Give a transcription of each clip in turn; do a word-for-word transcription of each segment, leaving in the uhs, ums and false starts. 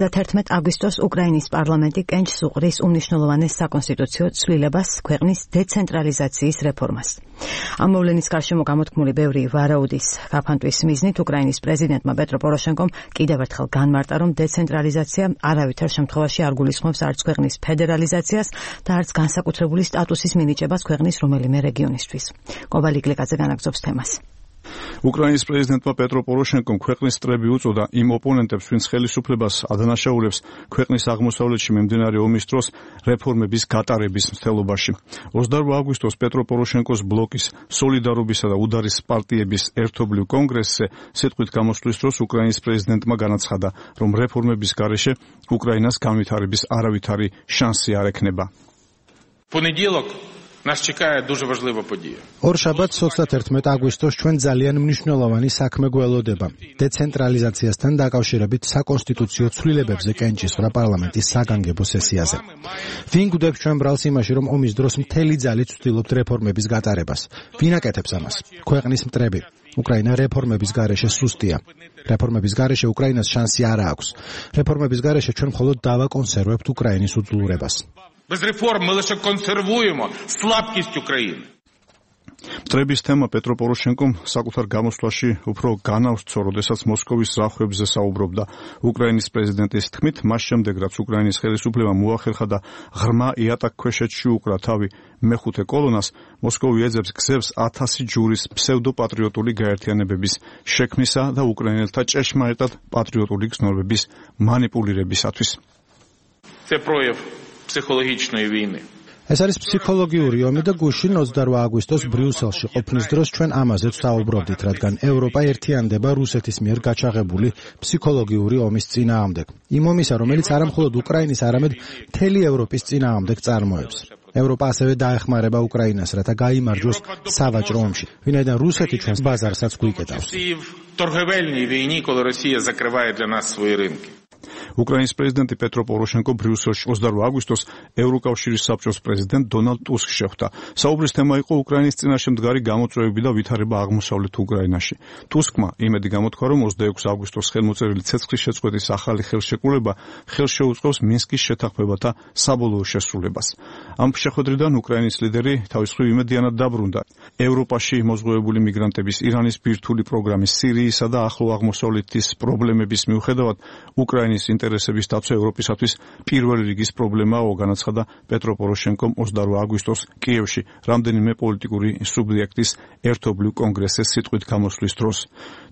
თერთმეტ აგვისტოს უკრაინის პარლამენტი კენჭს უყრის უმნიშვნელოვანეს საკონსტიტუციო ცვლილებას ქვეყნის დეცენტრალიზაციის რეფორმას. ამ მოვლენის გარშემო გამოთქმული ბევრი ვარაუდის გაფანტვის მიზნით უკრაინის პრეზიდენტმა პეტრო პოროშენკომ კიდევ ერთხელ განმარტა, რომ დეცენტრალიზაცია არავითარ შემთხვევაში არ გულისხმობს არც ქვეყნის ფედერალიზაციას და არც განსაკუთრებული სტატუსის მინიჭებას ქვეყნის რომელიმე რეგიონისთვის. კობალი გლიკაძე განაგრძობს თემას. უკრაინის პრეზიდენტმა პეტრო პოროშენკომ ქვეყნის წრები უწოდა იმ ოპონენტებს, ვინც ხელისუფლებას ადანაშაულებს ქვეყნის აღმოსავლეთში მიმდინარე ომის დროს რეფორმების გატარების მცდელობაში. ოცდაორ აგვისტოს პეტრო პოროშენკოს ბლოკის სოლიდარობისა და უდარის პარტიების ერთობლივ კონგრესზე სიტყვით გამოსვლის დროს უკრაინის პრეზიდენტმა განაცხადა, რომ რეფორმების გარეშე უკრაინას განვითარების არავითარი შანსი არ ექნება. Понеділок нас чекає дуже важлива подія. ორშაბათს ოცდათერთმეტ აგვისტოს ჩვენ ძალიან მნიშვნელოვანი საქმე გველოდება. დეცენტრალიზაციასთან დაკავშირებით საკონსტიტუციო ცვლილებებზე კენჭისყრა პარლამენტის საგანგებო სესიაზე. ვინ გვდებს ჩვენ ბრალს იმაში, რომ ომის დროს მთელი ძალით ვცდილობთ რეფორმების გატარებას? ვინ აკეთებს ამას? ქვეყნის მტრები. უკრაინა რეფორმების გარეშე სუსტია. რეფორმების გარეშე უკრაინას შანსი არ აქვს. რეფორმების გარეშე ჩვენ მხოლოდ დავაკონსერვებთ უკრაინის უძლურებას. Без реформ ми лише консервуємо слабкість України. მტრების თემა პეტრო პოროშენკომ საკუთარ გამოსვლაში უფრო განავსწრო, როდესაც მოსკოვის ზავხებზე საუბრობდა. უკრაინის პრეზიდენტის თქმით, მას შემდეგ, რაც უკრაინის ხელისუფლებამ მოახერხა და ღრმა იატაკქვეშეთში უკრა თავი მეხუთე კოლონას, მოსკოვი ეძებს გზებს ათასი ჯურის ფსევდოპატრიოტული გაერთიანებების შექმნისა და უკრაინელთა ჭეშმარიტად პატრიოტული გზნობების მანიპულირებისათვის. Це прояв ფსიქოლოგიჩნოი ვინი. ეს არის ფსიქოლოგიური ომი და გუშინ ოცდაორ აგვისტოს ბრიუსელში ყოფნის დროს ჩვენ ამაზეც საუბრობდით, რადგან ევროპა ერთიანდება რუსეთის მიერ გაჩაღებული ფსიქოლოგიური ომის წინააღმდეგ. იმ ომისა, რომელიც არამხოლოდ უკრაინის, არამედ მთელი ევროპის წინააღმდეგ წარმოებს. ევროპა ასევე დაეხმარება უკრაინას, რათა გაიმარჯვოს სავაჭრო ომში, ვინაიდან რუსეთი ჩვენს ბაზარსაც გვიკეტავს. торговельній війні, коли Росія закриває для нас свої ринки. უკრაინის პრეზიდენტი პეტრო პოროშენკო ბრიუსელში ოცდაორ აგვისტოს ევროკავშირის საბჭოს პრეზიდენტ დონალდ ტუსკს შეხვდა. საუბრის თემა იყო უკრაინის წინაშე მდგარი გამოწვევები და ვითარება აღმოსავლეთ უკრაინაში. ტუსკმა იმედი გამოთქვა, რომ ოცდაექვსი აგვისტოს ხელმოწერილი ცეცხლის შეწყვეტის ახალი ხელშეკრულება ხელს შეუწყობს მინსკის შეთანხმებათა საბოლოო შესრულებას. ამ შეხვედრიდან უკრაინის ლიდერი თავის მხრივ იმედიანად დაბრუნდა. ევროპაში მოზღვევებული მიგრანტების, ირანის ბირთვული პროგრამის, სირიისა და ახლო აღმოსავლეთის პრობლემების მიუხედავად უკრაინის ინტერესების დაცვა ევროპისათვის პირველი რიგის პრობლემაა, განაცხადა პეტრო პოროშენკომ ოცდაორ აგვისტოს კიევში რამდენიმე პოლიტიკური სუბიექტის ერთობლივ კონგრესზე სიტყვით გამოსვლის დროს.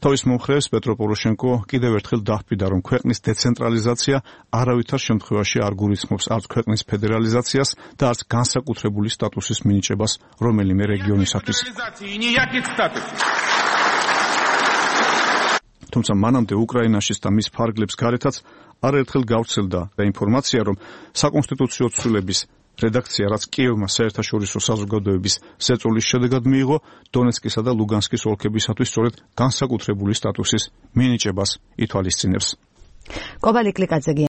თავის მომხრეს პეტრო პოროშენკო კიდევ ერთხელ დაჰპირდა, რომ ქვეყნის დეცენტრალიზაცია არავითარ შემთხვევაში არ გულისხმობს არც ქვეყნის ფედერალიზაციას და არც განსაკუთრებული სტატუსის მინიჭებას რომელიმე რეგიონისათვის. თუმცა მანამდე უკრაინაშიც და მის ფარგლებს გარეთაც არაერთხელ გავრცელდა ინფორმაცია, რომ საკონსტიტუციო ცვლილების რედაქცია, რაც კიევმა საერთაშორისო საზოგადოების ზეწოლის შედეგად მიიღო, დონეცკისა და ლუგანსკის ოლქებისათვის სწორედ განსაკუთრებული სტატუსის მინიჭებას ითვალისწინებს. კობალი გლიკაძე